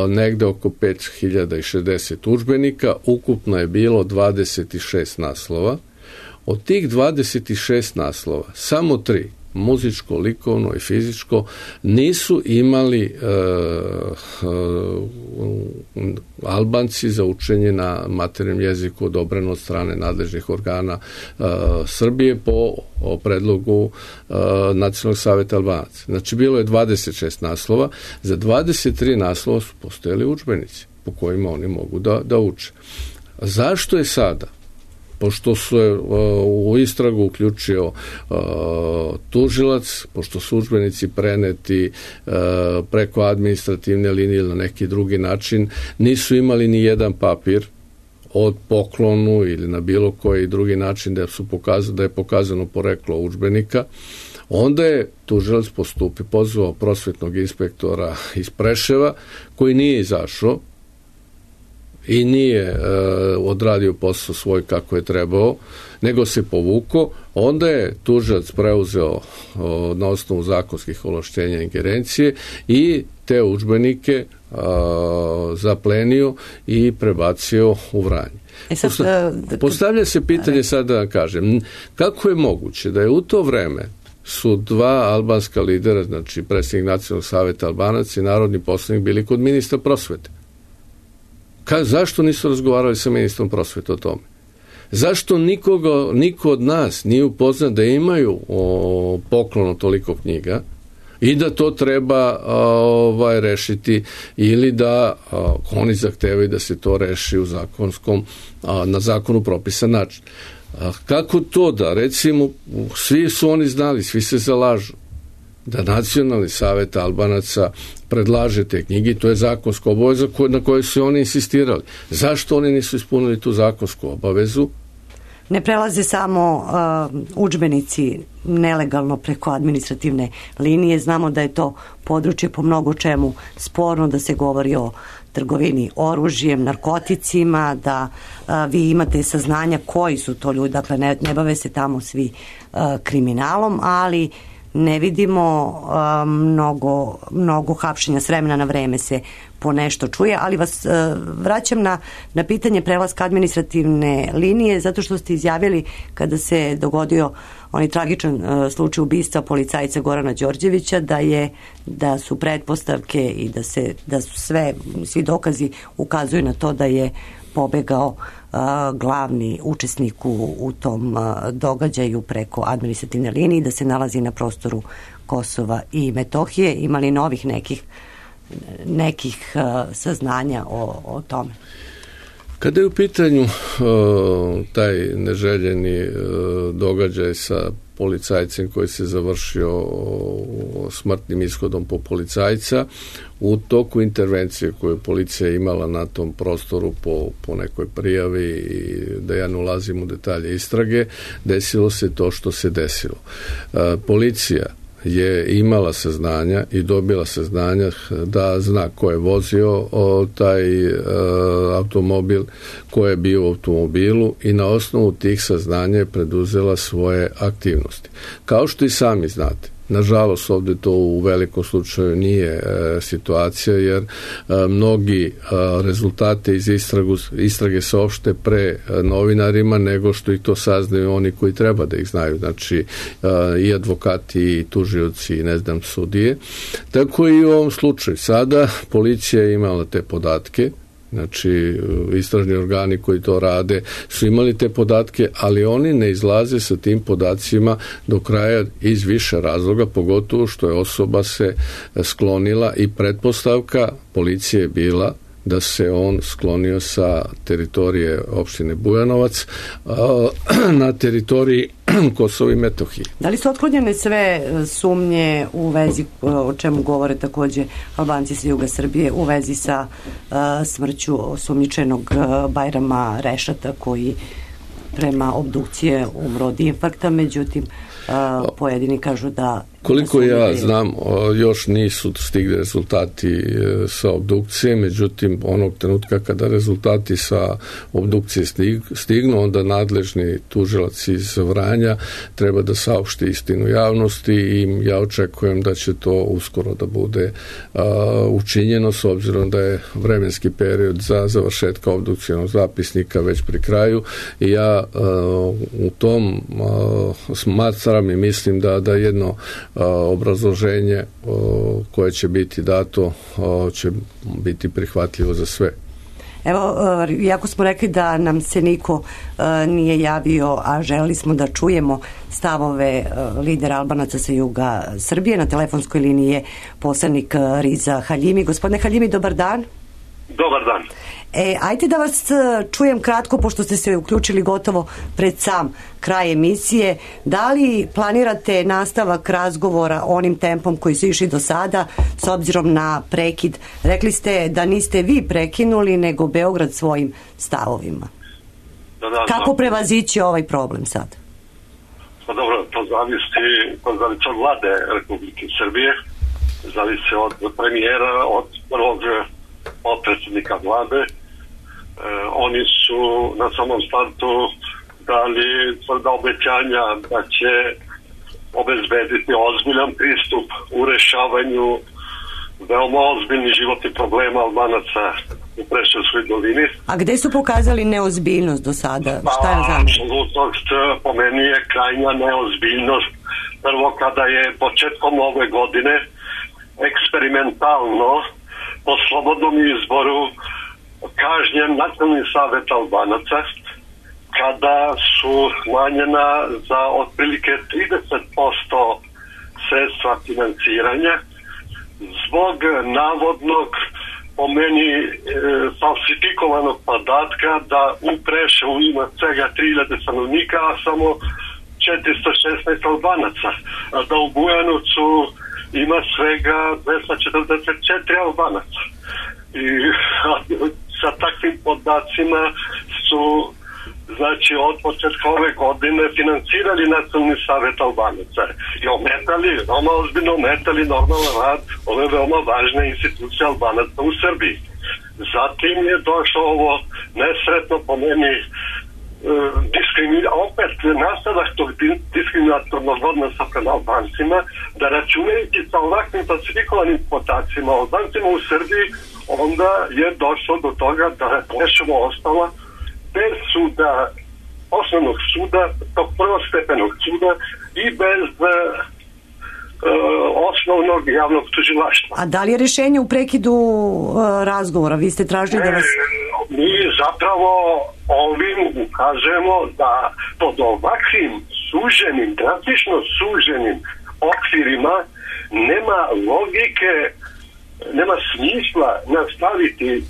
D: negde oko 5060 udžbenika, ukupno je bilo 26 naslova. Od tih 26 naslova, samo 3, muzičko, likovno i fizičko, nisu imali Albanci za učenje na maternjem jeziku odobreno od strane nadležnih organa Srbije po predlogu Nacionalnog savjeta Albanaca. Znači, bilo je 26 naslova, za 23 naslova su postojali udžbenici po kojima oni mogu da uče. Zašto je sada? Pošto su u istragu uključio tužilac, pošto su udžbenici preneti preko administrativne linije ili na neki drugi način, nisu imali ni jedan papir od poklonu ili na bilo koji drugi način da je pokazano poreklo udžbenika, onda je tužilac pozvao prosvetnog inspektora iz Preševa, koji nije izašao i nije odradio posao svoj kako je trebao, nego se povukao. Onda je tužilac preuzeo na osnovu zakonskih ovlašćenja ingerencije i te udžbenike zaplenio i prebacio u Vranje. Postavlja se pitanje, sad da kažem, kako je moguće da je u to vreme su 2 albanska lidera, znači predsjednik Nacionalnog savjeta Albanaca i narodni poslanik, bili kod ministra prosvete? Zašto nisu razgovarali sa ministrom prosvete o tome? Zašto niko od nas nije upoznat da imaju poklon toliko knjiga i da to treba rešiti, ili da oni zahtevaju da se to reši na zakonu propisan način? Kako to da, recimo, svi su oni znali, svi se zalažu da Nacionalni savjet Albanaca predlaže te knjige, to je zakonska obaveza na kojoj su oni insistirali. Zašto oni nisu ispunili tu zakonsku obavezu?
C: Ne prelaze samo udžbenici nelegalno preko administrativne linije. Znamo da je to područje po mnogo čemu sporno, da se govori o trgovini oružjem, narkoticima, da vi imate saznanja koji su to ljudi, dakle ne bave se tamo svi kriminalom, ali ne vidimo mnogo hapšenja, s vremena na vreme se po nešto čuje, ali vas vraćam na pitanje prelaska administrativne linije, zato što ste izjavili kada se dogodio onaj tragičan slučaj ubistva policajca Gorana Đorđevića da su pretpostavke i da su svi dokazi ukazuju na to da je pobegao glavni učesnik u tom događaju preko administrativne linije, da se nalazi na prostoru Kosova i Metohije. Imali novih nekih saznanja o tome?
D: Kada je u pitanju taj neželjeni događaj sa policajcem koji se završio smrtnim ishodom po policajca, u toku intervencije koju policija imala na tom prostoru po nekoj prijavi i da ja ne ulazim u detalje istrage, desilo se to što se desilo. Policija je imala saznanja i dobila saznanja da zna ko je vozio taj automobil, ko je bio u automobilu i na osnovu tih saznanja je preduzela svoje aktivnosti. Kao što i sami znate, nažalost ovdje to u velikom slučaju nije situacija jer mnogi rezultate iz istrage se opšte pre novinarima nego što i to saznaju oni koji treba da ih znaju, znači i advokati i tužioci i ne znam sudije. Tako i u ovom slučaju. Sada policija je imala te podatke, znači istražni organi koji to rade su imali te podatke, ali oni ne izlaze sa tim podacima do kraja iz više razloga, pogotovo što je osoba se sklonila i pretpostavka policije je bila da se on sklonio sa teritorije opštine Bujanovac na teritoriji Kosova i Metohije.
C: Da li su otklonjene sve sumnje u vezi, o čemu govore takođe Albanci sa juga Srbije, u vezi sa smrću osumnjičenog Bajrama Rešata koji prema obdukcije umro od infarkta, međutim pojedini kažu da...
D: Koliko ja znam, još nisu stigli rezultati sa obdukcije, međutim, onog trenutka kada rezultati sa obdukcije stignu, onda nadležni tužilac iz Vranja treba da saopšti istinu javnosti i ja očekujem da će to uskoro da bude učinjeno, s obzirom da je vremenski period za završetka obdukcijnog zapisnika već pri kraju i ja u tom smatram i mislim da jedno obrazloženje koje će biti dato će biti prihvatljivo za sve.
C: Evo, iako smo rekli da nam se niko nije javio, a želeli smo da čujemo stavove lidera Albanaca sa juga Srbije, na telefonskoj liniji je poslanik Riza Haljimi. Gospodine Haljimi, dobar dan.
L: Dobar dan.
C: Ajde da vas čujem kratko, pošto ste se uključili gotovo pred sam kraj emisije. Da li planirate nastavak razgovora onim tempom koji su išli do sada, s obzirom na prekid? Rekli ste da niste vi prekinuli, nego Beograd svojim stavovima.
L: Da.
C: Kako prevazići ovaj problem sad?
L: Pa dobro, to zavisi od vlade Republike Srbije, zavisi od premijera, od prvog potpredsjednika vlade. Oni su na samom startu dali tvrda obećanja da će obezbediti ozbiljan pristup u rešavanju veoma ozbiljnih životnih problema Albanaca u Preševskoj dolini.
C: A gde su pokazali neozbiljnost do sada? Šta je zamerno?
L: Apsolutnost po meni je krajnja neozbiljnost. Prvo, kada je početkom ove godine eksperimentalno po slobodnom izboru kažnjen Nacionalni savet Albanaca, kada su smanjena za otprilike 30% sredstva financiranja zbog navodnog, po meni falsifikovanog podatka da u Preševu ima svega 3000 stanovnika, a samo 416 Albanaca, a da u Bujanovcu ima svega 244 Albanaca. I sa takvim podacima su, znači, od početka ove godine financirali Nacionalni savet Albanaca i veoma ozbiljno ometali normalan rad ove veoma važne institucije Albanaca u Srbiji. Zatim je došlo ovo nesretno po meni opet nastavak tog diskriminatornog odnosa prema Albancima, da računajući sa ovakvim falsifikovanim podacima o Albancima u Srbiji, onda je došlo do toga da je Preševo ostala bez suda, osnovnog suda, tog prvostepenog suda i bez osnovnog javnog tužilaštva.
C: A da li je rešenje u prekidu razgovora? Vi ste tražili da vas...
L: Mi zapravo ovim ukazujemo da pod ovakvim suženim, drastično suženim okvirima nema logike, nema smisla nastaviti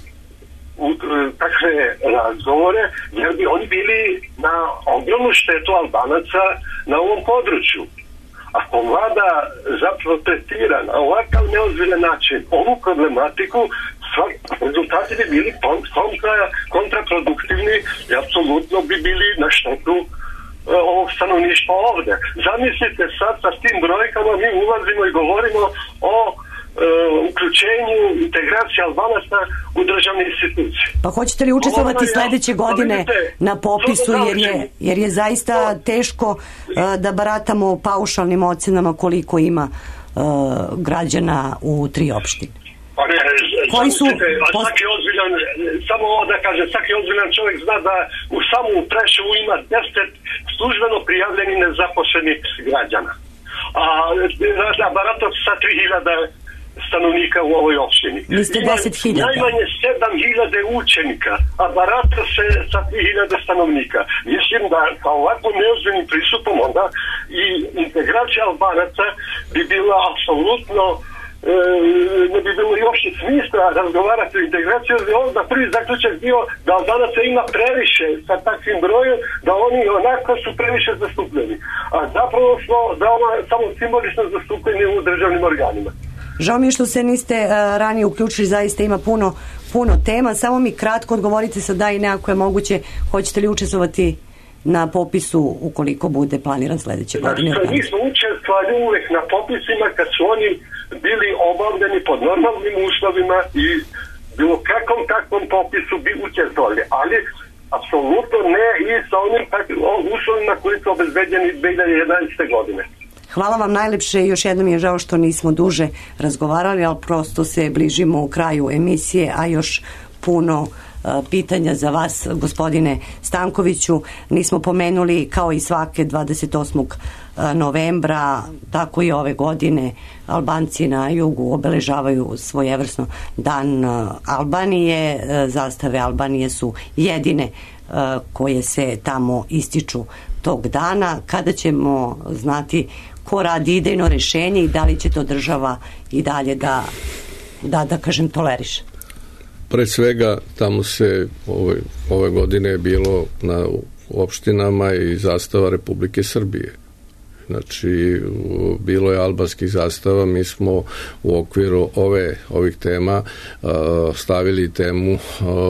L: u takve razgovore, jer bi oni bili na ogromnu štetu Albanaca na ovom području. Ako vlada zapravo tretira na ovakav neozbiljan način ovu problematiku, rezultati bi bili kontraproduktivni i apsolutno bi bili na štetu ovog stanovništva ovde. Zamislite sad sa tim brojkama mi ulazimo i govorimo o uključenju integracije Albanaca u državne institucije.
C: Pa hoćete li učestvovati sledeće godine na popisu, jer je zaista teško da baratamo paušalnim ocenama koliko ima građana u 3 opštine?
L: Koji su svaki ozbiljan, samo ovo da kažem, svaki ozbiljan čovjek zna da u samom Preševu ima 10 službeno prijavljenih nezaposlenih građana. A barata sa 3000 stanovnika u ovoj opštini.
C: Niste 10.000.
L: Najmanje 7.000 učenika, a barata se sa 3.000 stanovnika. Mislim da sa ovakvom neozbiljnim pristupom onda i integracija Albanaca bi bila apsolutno ne bi bilo još smisla razgovarati o integraciji, jer onda prvi zaključak bio da Albanaca ima previše sa takvim brojem, da oni onako su previše zastupljeni. A zapravo smo samo simbolično zastupljeni u državnim organima.
C: Žao mi je što se niste ranije uključili, zaista ima puno tema. Samo mi kratko odgovorite sad da i nekako je moguće, hoćete li učestvovati na popisu ukoliko bude planiran sledeće godine?
L: Mi smo učestvovali uvek na popisima kad su oni bili obavljeni pod normalnim uslovima i bilo kakvom popisu bi učestvovali, ali apsolutno ne i sa onim uslovima koji su obezbeđeni 2011. godine.
C: Hvala vam najlepše i još jednom je žao što nismo duže razgovarali, ali prosto se bližimo u kraju emisije, a još puno pitanja za vas, gospodine Stankoviću. Nismo pomenuli, kao i svake 28. novembra, tako i ove godine, Albanci na jugu obeležavaju svojevrsno Dan Albanije. Zastave Albanije su jedine koje se tamo ističu tog dana. Kada ćemo znati ko radi idejno rešenje i da li će to država i dalje da kažem, toleriše?
D: Pre svega, tamo se ove godine je bilo na opštinama i zastava Republike Srbije. Znači, bilo je albanskih zastava, mi smo u okviru ovih tema stavili temu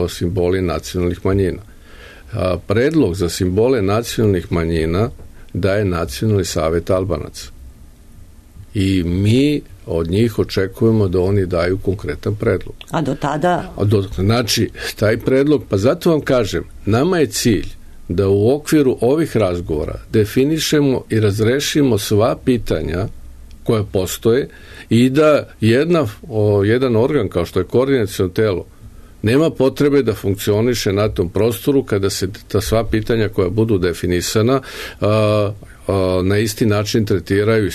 D: simboli nacionalnih manjina. Predlog za simbole nacionalnih manjina daje Nacionalni savet Albanaca. I mi od njih očekujemo da oni daju konkretan predlog.
C: A do tada?
D: Znači, taj predlog, pa zato vam kažem, nama je cilj da u okviru ovih razgovora definišemo i razrešimo sva pitanja koja postoje i da jedan organ kao što je koordinaciono telo nema potrebe da funkcioniše na tom prostoru kada se ta sva pitanja koja budu definisana na isti način tretiraju i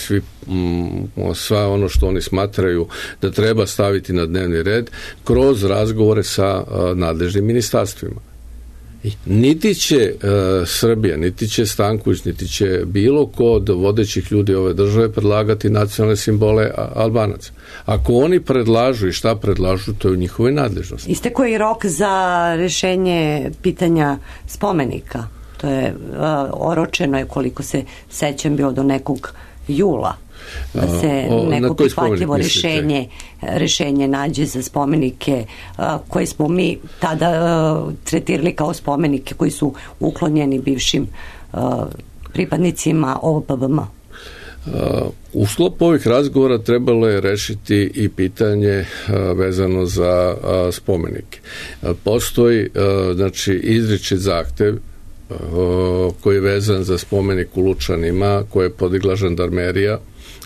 D: sva ono što oni smatraju da treba staviti na dnevni red kroz razgovore sa nadležnim ministarstvima. Niti će Srbija, niti će Stanković, niti će bilo ko od vodećih ljudi ove države predlagati nacionalne simbole Albanaca. Ako oni predlažu i šta predlažu, to je u njihovoj nadležnosti.
C: Istekao je rok za rešenje pitanja spomenika. To je oročeno je, koliko se sećam, bilo do nekog jula. Da se neko prihvatljivo rešenje nađe za spomenike koje smo mi tada tretirali kao spomenike koji su uklonjeni bivšim pripadnicima OPBM.
D: U sklopu ovih razgovora trebalo je rešiti i pitanje vezano za spomenike. Postoji izričit zahtev koji je vezan za spomenik u Lučanima koje je podigla žandarmerija,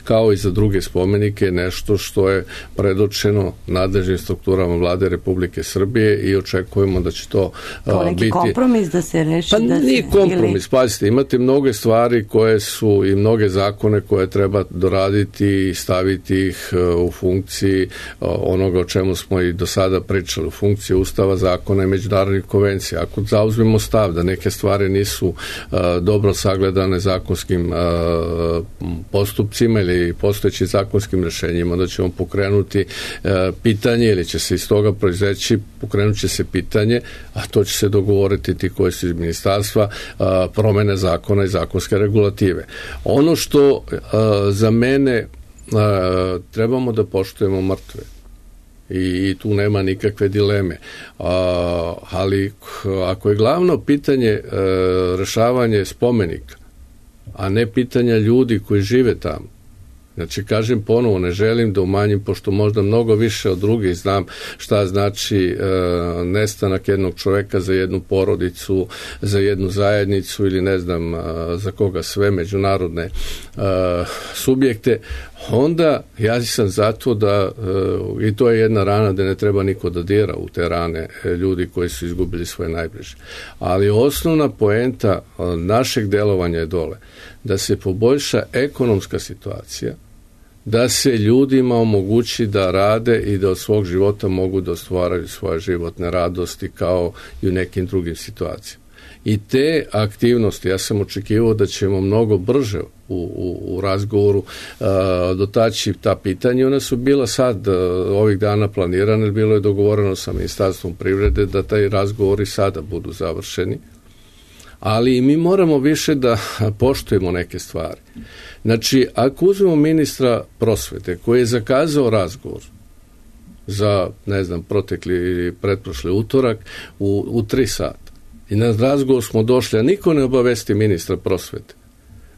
D: kao i za druge spomenike, nešto što je predočeno nadležnim strukturama Vlade Republike Srbije i očekujemo da će to
C: neki
D: biti...
C: kompromis da se reši?
D: Pa nije kompromis, pazite, imate mnoge stvari koje su i mnoge zakone koje treba doraditi i staviti ih u funkciji onoga o čemu smo i do sada pričali, u funkciji Ustava, zakona i međunarodnih konvencija. Ako zauzmemo stav da neke stvari nisu dobro sagledane zakonskim postupcima ili ili postojećim zakonskim rješenjima, onda ćemo pokrenuti pitanje ili će se iz toga proizeći, pokrenut će se pitanje, a to će se dogovoriti ti koji su iz ministarstva, promene zakona i zakonske regulative. Ono što za mene trebamo da poštujemo mrtve i tu nema nikakve dileme, ali ako je glavno pitanje rešavanje spomenika, a ne pitanja ljudi koji žive tamo, znači kažem ponovo, ne želim da umanjim, pošto možda mnogo više od drugih znam šta znači nestanak jednog čoveka za jednu porodicu, za jednu zajednicu ili ne znam za koga sve, međunarodne subjekte, onda ja sam zato da, i to je jedna rana da ne treba niko da dira u te rane ljudi koji su izgubili svoje najbliže. Ali osnovna poenta našeg delovanja je dole da se poboljša ekonomska situacija, da se ljudima omogući da rade i da od svog života mogu da ostvaraju svoje životne radosti kao i u nekim drugim situacijama. I te aktivnosti, ja sam očekivao da ćemo mnogo brže u razgovoru dotaći ta pitanja. Ona su bila sad ovih dana planirane, bilo je dogovoreno sa Ministarstvom privrede da taj razgovori sada budu završeni. Ali mi moramo više da poštujemo neke stvari. Znači, ako uzmemo ministra prosvete koji je zakazao razgovor za, ne znam, protekli ili pretprošli utorak u 3 sata i na razgovor smo došli, a niko ne obavesti ministra prosvete,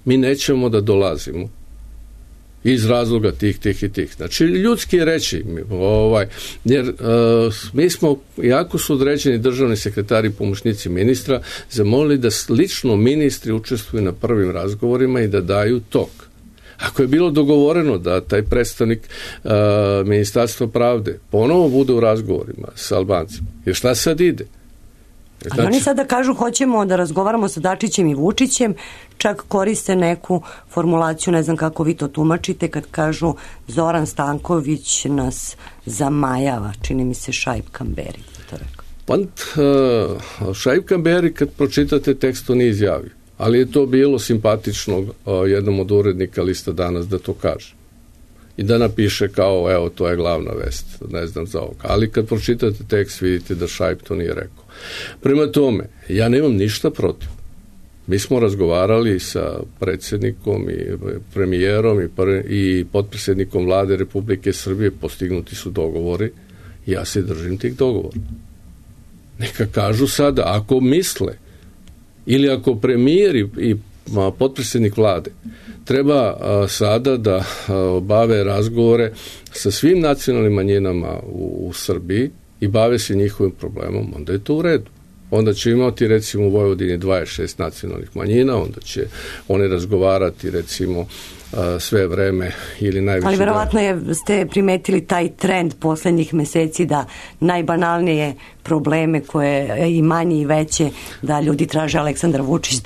D: mi nećemo da dolazimo iz razloga tih i tih. Znači, ljudski je reći, jer mi smo, jako su određeni državni sekretari i pomoćnici ministra, zamolili da lično ministri učestvuju na prvim razgovorima i da daju tok. Ako je bilo dogovoreno da taj predstavnik Ministarstva pravde ponovo bude u razgovorima sa Albancima, jer šta sad ide?
C: Ali oni sada kažu hoćemo da razgovaramo sa Dačićem i Vučićem, čak koriste neku formulaciju, ne znam kako vi to tumačite, kad kažu Zoran Stanković nas zamajava, čini mi se Šaip Kamberi to rekao.
D: Pa Šaip Kamberi kad pročitate tekst to nije izjavio, ali je to bilo simpatično jednom od urednika Lista Danas da to kaže. I da napiše kao, evo, to je glavna vest, ne znam za ovoga. Ali kad pročitate tekst vidite da Šaip to nije rekao. Prema tome, ja nemam ništa protiv. Mi smo razgovarali sa predsjednikom i premijerom i potpredsjednikom vlade Republike Srbije, postignuti su dogovori i ja se držim tih dogovora. Neka kažu sada, ako misle ili ako premijer i potpredsjednik vlade treba sada da bave razgovore sa svim nacionalnim manjinama u Srbiji i bave se njihovim problemom, onda je to u redu. Onda će imati recimo u Vojvodini 26 nacionalnih manjina, onda će oni razgovarati recimo sve vreme ili najviše. Ali
C: verovatno ste primetili taj trend poslednjih meseci da najbanalnije probleme koje i manje i veće da ljudi traže Aleksandar Vučić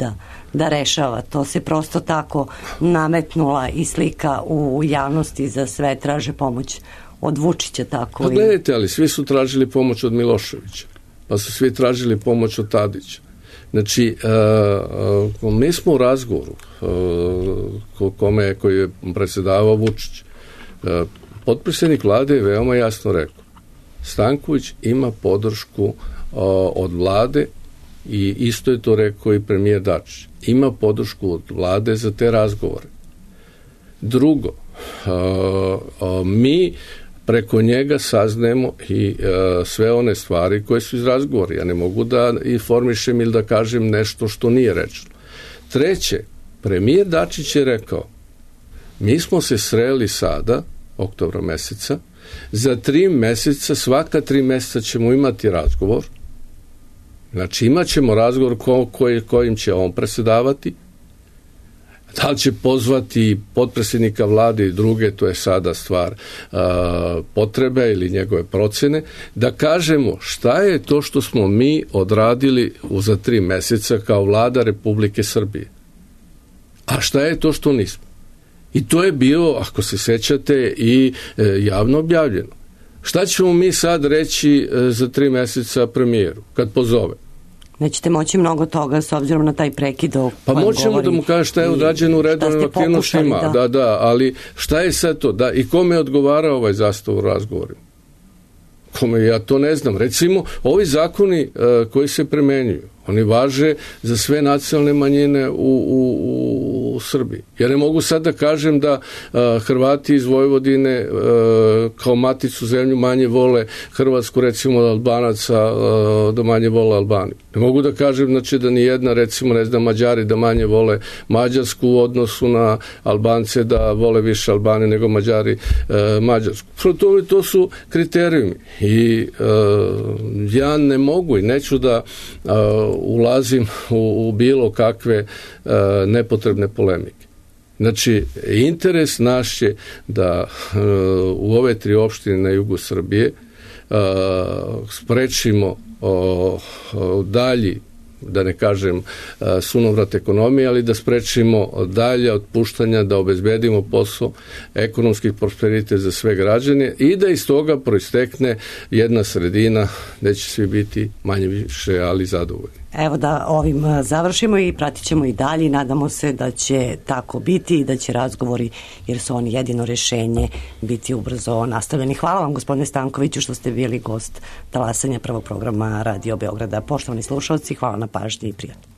C: da rešava. To se prosto tako nametnula i slika u javnosti, za sve traže pomoć od Vučića. Tako.
D: Pa gledajte, ali svi su tražili pomoć od Miloševića, pa su svi tražili pomoć od Tadića. Znači, mi smo u razgovoru koji je predsjedavao Vučić. Potpredsjednik vlade je veoma jasno rekao, Stanković ima podršku od vlade i isto je to rekao i premijer Dačić. Ima podršku od vlade za te razgovore. Drugo, mi preko njega saznajemo i sve one stvari koje su iz razgovora. Ja ne mogu da informišem ili da kažem nešto što nije rečeno. Treće, premijer Dačić je rekao, mi smo se sreli sada, oktobra meseca, za 3 meseca, svaka 3 meseca ćemo imati razgovor. Znači imat ćemo razgovor kojim će on predsjedavati. Da li će pozvati potpredsjednika vlade i druge, to je sada stvar potrebe ili njegove procene, da kažemo šta je to što smo mi odradili za 3 meseca kao vlada Republike Srbije. A šta je to što nismo? I to je bilo, ako se sećate, i javno objavljeno. Šta ćemo mi sad reći za 3 meseca premijeru, kad pozove?
C: Nećete moći mnogo toga s obzirom na taj prekid o
D: Pa
C: kojem
D: moćemo
C: govori
D: da mu kaže šta je urađeno u redovnim aktivnostima. Da, ali šta je sad to? Da, i kome odgovara ovaj zastav u razgovorima? Kome, ja to ne znam. Recimo, ovi zakoni koji se primenjuju, oni važe za sve nacionalne manjine u Srbiji. Ja ne mogu sad da kažem da Hrvati iz Vojvodine kao maticu zemlju manje vole Hrvatsku, recimo od Albanaca da manje vole Albaniju. Ne mogu da kažem znači, da ni jedna, recimo, ne znam, Mađari da manje vole Mađarsku u odnosu na Albance, da vole više Albanije nego Mađari Mađarsku. To su kriterijumi. I ja ne mogu i neću da ulazim u bilo kakve nepotrebne polemike. Znači, interes naš je da u ove 3 opštine na jugu Srbije sprečimo dalji, da ne kažem sunovrat ekonomije, ali da sprečimo dalje otpuštanja, da obezbedimo posao, ekonomski prosperitet za sve građane i da iz toga proistekne jedna sredina gde će svi biti manje više, ali zadovoljni.
C: Evo da ovim završimo i pratit ćemo i dalje i nadamo se da će tako biti i da će razgovori, jer su oni jedino rešenje, biti ubrzo nastavljeni. Hvala vam, gospodine Stankoviću, što ste bili gost talasanja prvog programa Radio Beograda. Poštovani slušalci, hvala na pažnji i prijatno.